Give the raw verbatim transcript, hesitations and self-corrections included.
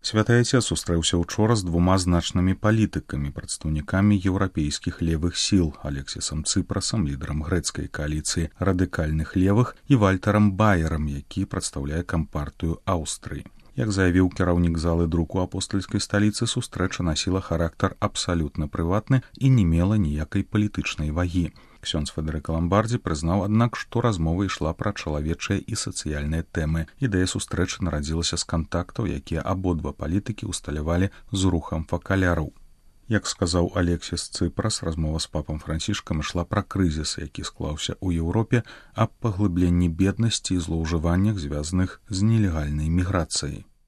Святы Отец сустрэўся учора з двума значнымі палітыкамі, прадстаўнікамі еўрапейскіх левых сіл Алексісам Цыпрасам, лідарам грэцкай кааліцыі радыкальных левых, і Вальтарам Баерам, які прадстаўляе кампартыю Аўстрыі. Як заявіў кіраўнік залы друку апостальскай сталіцы, сустрэча насіла характар абсалютна прыватны і не мела ніякай палітычнай вагі. Ксёндз Федэрыка Ламбардзі прызнаў, аднак, што размова ішла пра чалавечыя і сацыяльныя тэмы. Ідэя сустрэчы нарадзілася з кантактаў, якія абодва палітыкі ўсталявалі з рухам факаляраў. Як сказаў Алексіс Цыпрас, размова з папам Францішкам ішла пра крызіс, які склаўся ў Еўропе, аб паглыбленні беднасці і злоўжываннях, звязаных з нелегальнай міграцыяй.